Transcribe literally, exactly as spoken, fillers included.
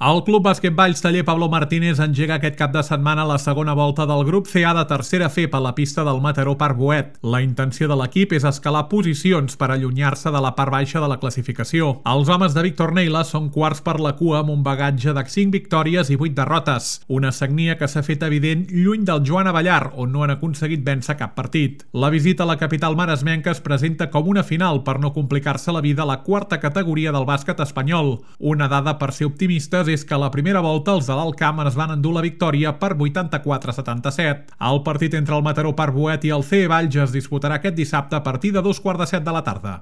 El Club Bàsquet Valls Taller Pablo Martínez engega aquest cap de setmana la segona volta del grup C A de tercera F per la pista del Mataró Parc Boet. La intenció de l'equip és escalar posicions per allunyar-se de la part baixa de la classificació. Els homes de Víctor Neila són quarts per la cua amb un bagatge de cinc victòries i vuit derrotes. Una sagnia que s'ha fet evident lluny del Joan Abellar, on no han aconseguit vèncer cap partit. La visita a la capital maresmenca es presenta com una final per no complicar-se la vida a la quarta categoria del bàsquet espanyol. Una dada per ser optimistes és que a la primera volta els de l'Alt Camp es van endur la victòria per vuitanta-quatre a setanta-set. El partit entre el Mataró Parc Boet i el C E Valls es disputarà aquest dissabte a partir de dos quarts de set de la tarda.